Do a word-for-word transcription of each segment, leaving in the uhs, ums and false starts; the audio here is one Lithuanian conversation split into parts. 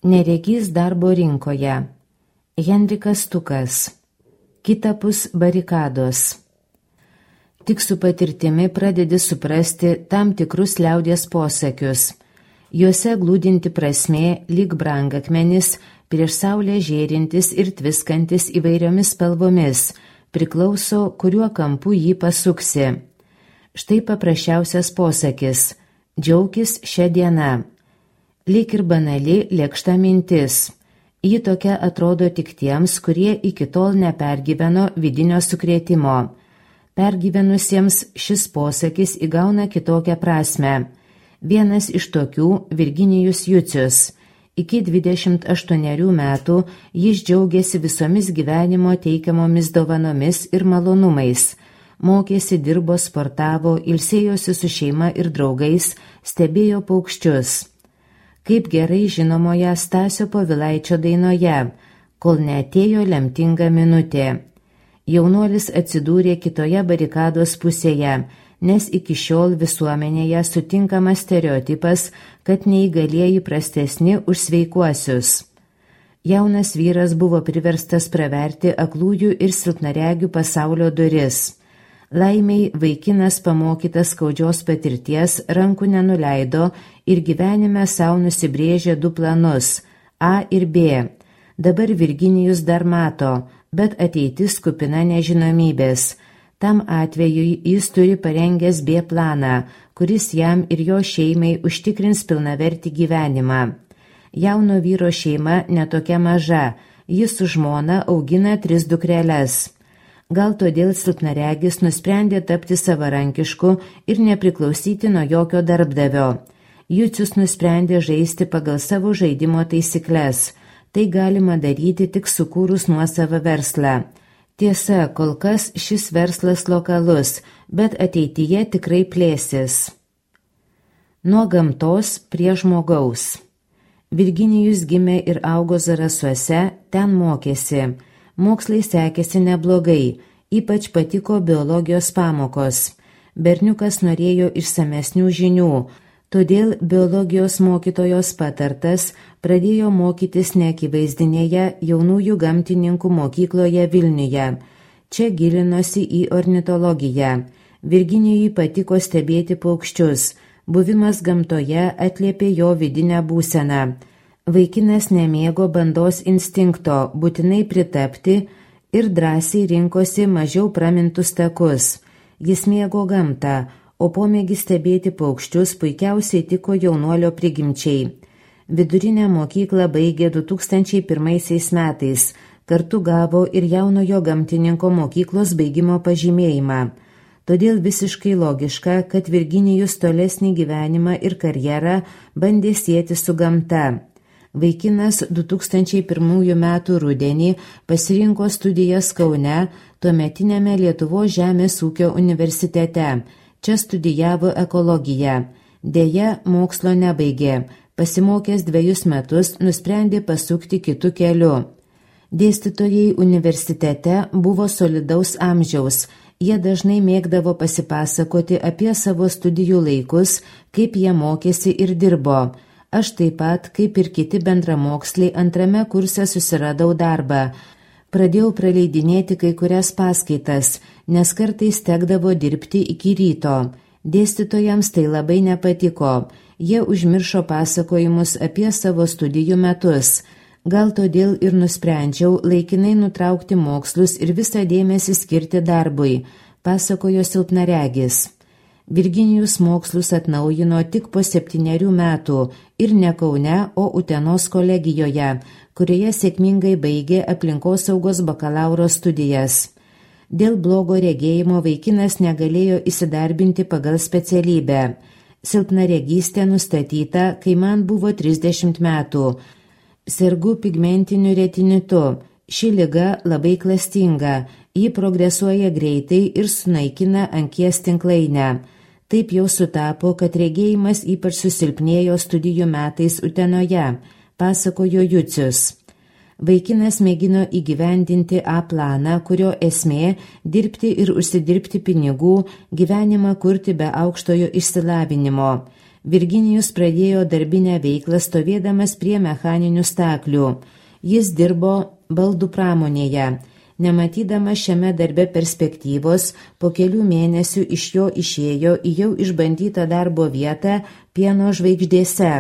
Neregys darbo rinkoje. Henrikas Stukas. Kitapus barikados. Tik su patirtimi pradedi suprasti tam tikrus liaudies posakius. Juose glūdinti prasmė, lyg brangakmenis, prieš saulę žėrintis ir tviskantis įvairiomis spalvomis, priklauso, kuriuo kampu jį pasuksi. Štai paprasčiausias posakis – džiaukis šią dieną. Lyg ir banali lėkšta mintis. Ji tokia atrodo tik tiems, kurie iki tol nepergyveno vidinio sukrėtimo. Pergyvenusiems šis posakis įgauna kitokią prasmę. Vienas iš tokių Virginijus Jucius. Iki dvidešimt aštuonerių metų jis džiaugiasi visomis gyvenimo teikiamomis dovanomis ir malonumais. Mokėsi, dirbo, sportavo, ilsėjosi su šeima ir draugais, stebėjo paukščius. Kaip gerai žinomoje Stasio Povilaičio dainoje, kol neatėjo lemtinga minutė. Jaunuolis atsidūrė kitoje barikados pusėje, nes iki šiol visuomenėje sutinkamas stereotipas, kad neįgalieji prastesni už sveikuosius. Jaunas vyras buvo priverstas praverti aklųjų ir silpnaregių pasaulio duris. Laimiai vaikinas pamokytas skaudžios patirties rankų nenuleido ir gyvenime savo nusibrėžė du planus – A ir B. Dabar Virginijus dar mato, bet ateitis kupina nežinomybės. Tam atvejui jis turi parengęs B planą, kuris jam ir jo šeimai užtikrins pilnavertį gyvenimą. Jauno vyro šeima netokia maža, jis su žmona augina tris dukreles. Gal todėl silpnaregis nusprendė tapti savarankišku ir nepriklausyti nuo jokio darbdavio. Jucius nusprendė žaisti pagal savo žaidimo taisykles. Tai galima daryti tik sukūrus nuosavą verslą. Tiesa, kol kas šis verslas lokalus, bet ateityje tikrai plėsis. Nuo gamtos prie žmogaus. Virginijus gimė ir augo Zarasuose, ten mokėsi. Mokslai sekėsi neblogai, ypač patiko biologijos pamokos. Berniukas norėjo išsamesnių žinių, todėl biologijos mokytojos patartas pradėjo mokytis neakivaizdinėje jaunųjų gamtininkų mokykloje Vilniuje. Čia gilinosi į ornitologiją. Virginijui patiko stebėti paukščius. Buvimas gamtoje atliepė jo vidinę būseną. Vaikinas nemėgo bandos instinkto būtinai pritapti ir drąsiai rinkosi mažiau pramintus takus. Jis mėgo gamtą, o pomėgis stebėti paukščius puikiausiai tiko jaunuolio prigimčiai. Vidurinę mokyklą baigė du tūkstančiai pirmaisiais metais, kartu gavo ir jaunojo gamtininko mokyklos baigimo pažymėjimą. Todėl visiškai logiška, kad Virginijus tolesnį gyvenimą ir karjerą bandė sieti su gamta. Vaikinas du tūkstančiai pirmųjų metų rudenį pasirinko studijas Kaune, tuometinėme Lietuvos žemės ūkio universitete. Čia studijavo ekologiją. Deja, mokslo nebaigė. Pasimokęs dvejus metus nusprendė pasukti kitu keliu. Dėstytojai universitete buvo solidaus amžiaus. Jie dažnai mėgdavo pasipasakoti apie savo studijų laikus, kaip jie mokėsi ir dirbo. Aš taip pat, kaip ir kiti bendramoksliai, antrame kurse susiradau darbą. Pradėjau praleidinėti kai kurias paskaitas, nes kartais tekdavo dirbti iki ryto. Dėstytojams tai labai nepatiko. Jie užmiršo pasakojimus apie savo studijų metus. Gal todėl ir nusprendžiau laikinai nutraukti mokslus ir visą dėmesį skirti darbui, pasakojo silpnaregis. Virginijus mokslus atnaujino tik po septynerių metų ir ne Kaune, o Utenos kolegijoje, kurioje sėkmingai baigė aplinkosaugos bakalauro studijas. Dėl blogo regėjimo vaikinas negalėjo įsidarbinti pagal specialybę. Silpnaregystė nustatyta, kai man buvo trisdešimt metų. Sergu pigmentiniu retinitu. Ši liga labai klastinga. Ji progresuoja greitai ir sunaikina ankies tinklainę. Taip jau sutapo, kad regėjimas ypač susilpnėjo studijų metais Utenoje, pasakojo Jucius. Vaikinas mėgino įgyvendinti A planą, kurio esmė – dirbti ir užsidirbti pinigų, gyvenimą kurti be aukštojo išsilavinimo. Virginijus pradėjo darbinę veiklą stovėdamas prie mechaninių staklių. Jis dirbo baldų pramonėje. Nematydamas šiame darbe perspektyvos, po kelių mėnesių iš jo išėjo į jau išbandytą darbo vietą pieno žvaigždėse.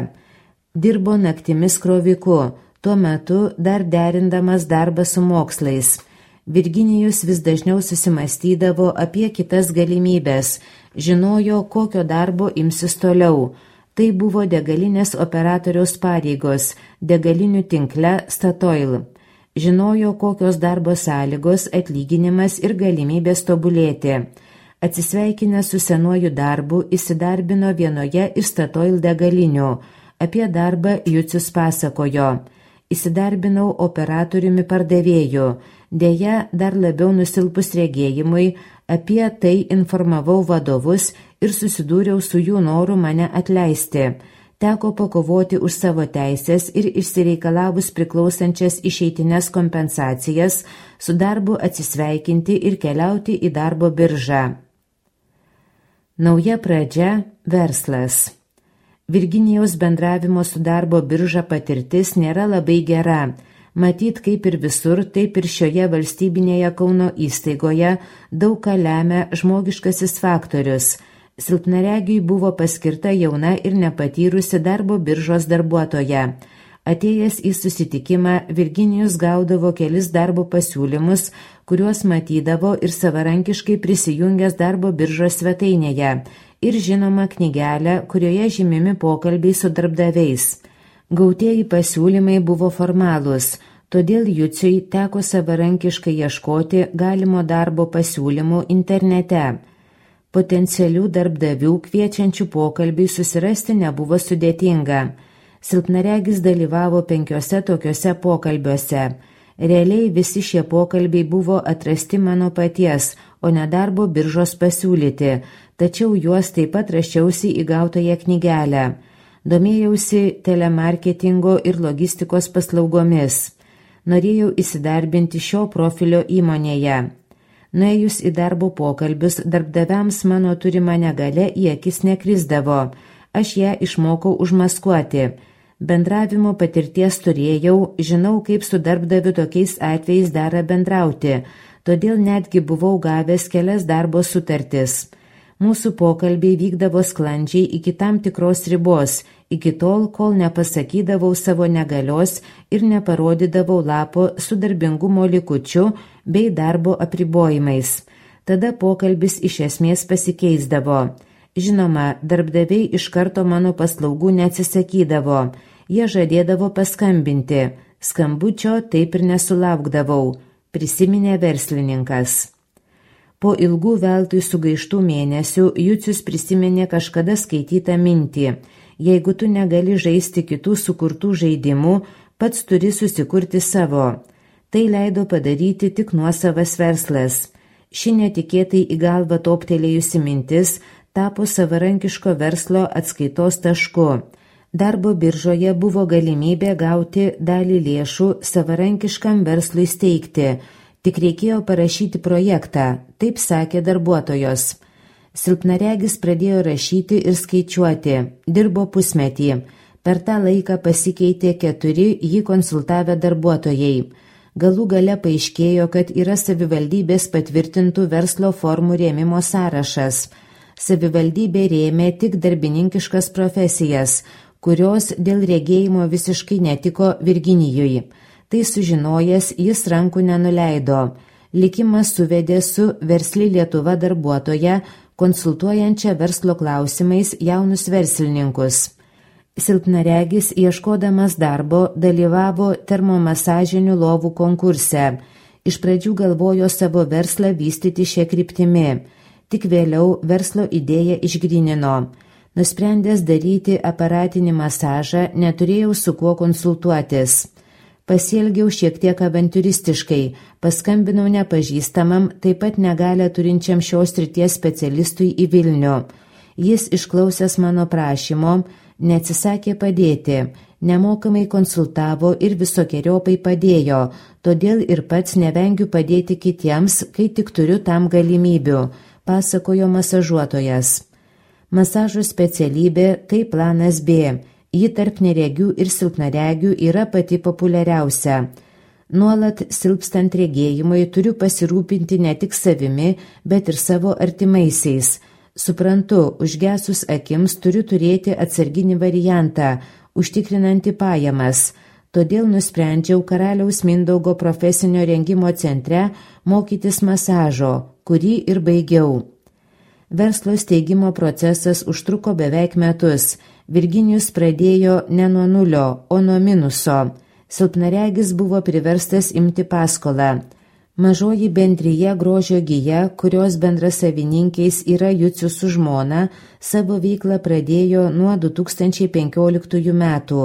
Dirbo naktimis kroviku, tuo metu dar derindamas darbą su mokslais. Virginijus vis dažniau susimastydavo apie kitas galimybės, žinojo, kokio darbo imsis toliau. Tai buvo degalinės operatoriaus pareigos, degalinių tinkle Statoil. Žinojo, kokios darbo sąlygos, atlyginimas ir galimybės tobulėti. Atsisveikinęs su senuoju darbu, įsidarbino vienoje iš Statoil degalinių. Apie darbą Jucius pasakojo. Įsidarbinau operatoriumi pardavėju. Deja, dar labiau nusilpus regėjimui, apie tai informavau vadovus ir susidūriau su jų noru mane atleisti. Teko pakovoti už savo teisės ir išsireikalavus priklausančias išeitines kompensacijas, su darbu atsisveikinti ir keliauti į darbo biržą. Nauja pradžia – verslas. Virginijaus bendravimo su darbo birža patirtis nėra labai gera. Matyt, kaip ir visur, taip ir šioje valstybinėje Kauno įstaigoje daug ką lemia žmogiškasis faktorius. Silpnaregiui buvo paskirta jauna ir nepatyrusi darbo biržos darbuotoja. Atėjęs į susitikimą, Virginijus gaudavo kelis darbo pasiūlymus, kuriuos matydavo ir savarankiškai prisijungęs darbo biržos svetainėje, ir žinoma knygelę, kurioje žymimi pokalbiai su darbdaviais. Gautieji pasiūlymai buvo formalūs, todėl Juciui teko savarankiškai ieškoti galimo darbo pasiūlymų internete. Potencialių darbdavių kviečiančių pokalbiai susirasti nebuvo sudėtinga. Silpnaregis dalyvavo penkiose tokiuose pokalbiuose. Realiai visi šie pokalbiai buvo atrasti mano paties, o ne darbo biržos pasiūlyti, tačiau juos taip pat rašiausi į gautąją knygelę. Domėjausi telemarketingo ir logistikos paslaugomis. Norėjau įsidarbinti šio profilio įmonėje. Nuėjus į darbo pokalbius, darbdaviams mano turima negalia į akis nekrisdavo. Aš ją išmokau užmaskuoti. Bendravimo patirties turėjau, žinau, kaip su darbdaviu tokiais atvejais dera bendrauti, todėl netgi buvau gavęs kelias darbo sutartis. Mūsų pokalbiai vykdavo sklandžiai iki tam tikros ribos, iki tol, kol nepasakydavau savo negalios ir neparodydavau lapo su darbingumo likučiu bei darbo apribojimais. Tada pokalbis iš esmės pasikeisdavo. Žinoma, darbdaviai iš karto mano paslaugų neatsisakydavo. Jie žadėdavo paskambinti. Skambučio taip ir nesulaukdavau, prisiminė verslininkas. Po ilgų veltui sugaištų mėnesių Jucius prisiminė kažkada skaitytą mintį. Jeigu tu negali žaisti kitų sukurtų žaidimų, pats turi susikurti savo. Tai leido padaryti tik nuosavas verslas. Ši netikėtai į galvą toptelėjusi mintis tapo savarankiško verslo atskaitos tašku. Darbo biržoje buvo galimybė gauti dalį lėšų savarankiškam verslui steigti. Tik reikėjo parašyti projektą, taip sakė darbuotojos. Silpnaregis pradėjo rašyti ir skaičiuoti, dirbo pusmetį. Per tą laiką pasikeitė keturi jį konsultavę darbuotojai. Galų gale paaiškėjo, kad yra savivaldybės patvirtintų verslo formų rėmimo sąrašas. Savivaldybė rėmė tik darbininkiškas profesijas, kurios dėl regėjimo visiškai netiko Virginijui. Tai sužinojęs, jis rankų nenuleido. Likimas suvedė su Versli Lietuva darbuotoja, konsultuojančia verslo klausimais jaunus verslininkus. Silpnaregis, ieškodamas darbo, dalyvavo termomasažinių lovų konkurse. Iš pradžių galvojo savo verslą vystyti šią kryptimį. Tik vėliau verslo idėją išgrynino. Nusprendęs daryti aparatinį masažą, neturėjau su kuo konsultuotis. Pasielgiau šiek tiek avantūristiškai, paskambinau nepažįstamam, taip pat negalę turinčiam šios srities specialistui į Vilnių. Jis, išklausęs mano prašymo, neatsisakė padėti, nemokamai konsultavo ir visokiojopai padėjo, todėl ir pats nevengiu padėti kitiems, kai tik turiu tam galimybių, pasakojo masažuotojas. Masažo specialybė tai planas B. Ji tarp neregių ir silpnaregių yra pati populiariausia. Nuolat silpstant regėjimui turiu pasirūpinti ne tik savimi, bet ir savo artimaisiais. Suprantu, užgesus akims turiu turėti atsarginį variantą, užtikrinantį pajamas. Todėl nusprendžiau Karaliaus Mindaugo profesinio rengimo centre mokytis masažo, kurį ir baigiau. Verslo steigimo procesas užtruko beveik metus. Virginijus pradėjo ne nuo nulio, o nuo minuso. Silpnaregis buvo priverstas imti paskolą. Mažoji bendrija Grožio gija, kurios bendrasavininkiais yra Jucius su žmona, savo veiklą pradėjo nuo du tūkstančiai penkioliktųjų metų.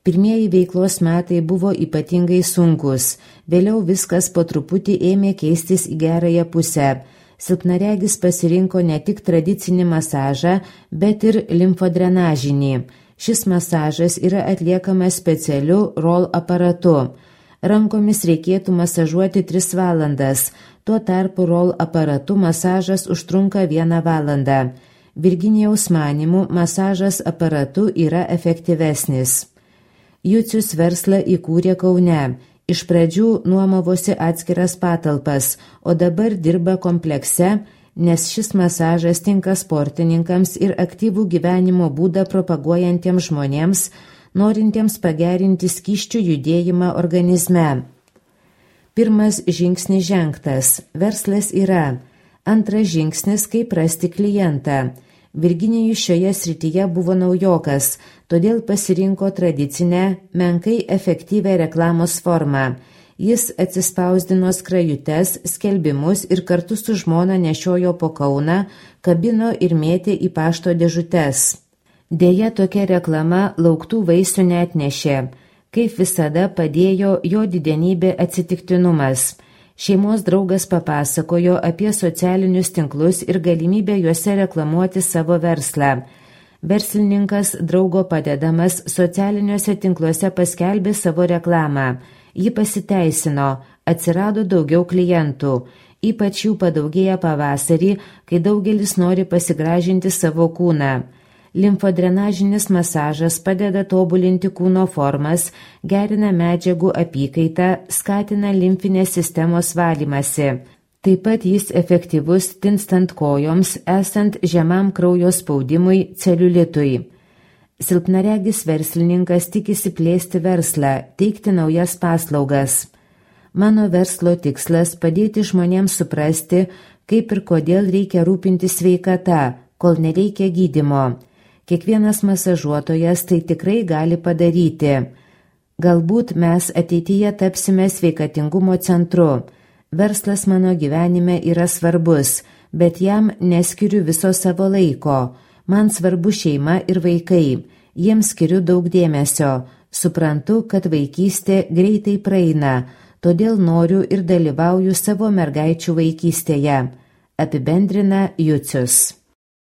Pirmieji veiklos metai buvo ypatingai sunkus, vėliau viskas po truputį ėmė keistis į gerąją pusę. Silpnaregis pasirinko ne tik tradicinį masažą, bet ir limfodrenažinį. Šis masažas yra atliekamas specialiu roll aparatu. Rankomis reikėtų masažuoti tris valandas, tuo tarpu roll aparatu masažas užtrunka vieną valandą. Virginijaus manymu, masažas aparatu yra efektyvesnis. Jucius verslą įkūrė Kaune. Iš pradžių nuomavosi atskiras patalpas, o dabar dirba komplekse, nes šis masažas tinka sportininkams ir aktyvų gyvenimo būdą propaguojantiems žmonėms, norintiems pagerinti skysčių judėjimą organizme. Pirmas žingsnis žengtas. Verslas yra. Antras žingsnis, kaip rasti klientą. Virginijus šioje srityje buvo naujokas, todėl pasirinko tradicinę, menkai efektyvę reklamos formą. Jis atsispausdino skrajutes, skelbimus ir kartu su žmona nešiojo po Kauną, kabino ir mėtė į pašto dėžutes. Deja, tokia reklama lauktų vaisių neatnešė. Kaip visada padėjo jo didenybė atsitiktinumas. Šeimos draugas papasakojo apie socialinius tinklus ir galimybę juose reklamuoti savo verslą. Verslininkas draugo padedamas socialiniuose tinkluose paskelbė savo reklamą. Ji pasiteisino, atsirado daugiau klientų. Ypač jų padaugėja pavasarį, kai daugelis nori pasigražinti savo kūną. Limfodrenažinis masažas padeda tobulinti kūno formas, gerina medžiagų apykaitą, skatina limfinės sistemos valymasi. Taip pat jis efektyvus tinstant kojoms, esant žemam kraujo spaudimui, celiulitui. Silpnaregis verslininkas tikisi plėsti verslą, teikti naujas paslaugas. Mano verslo tikslas padėti žmonėms suprasti, kaip ir kodėl reikia rūpintis sveikata, kol nereikia gydymo. Kiekvienas masažuotojas tai tikrai gali padaryti. Galbūt mes ateityje tapsime sveikatingumo centru. Verslas mano gyvenime yra svarbus, bet jam neskiriu viso savo laiko. Man svarbu šeima ir vaikai. Jiems skiriu daug dėmesio. Suprantu, kad vaikystė greitai praeina, todėl noriu ir dalyvauju savo mergaičių vaikystėje. Apibendrina Jucius.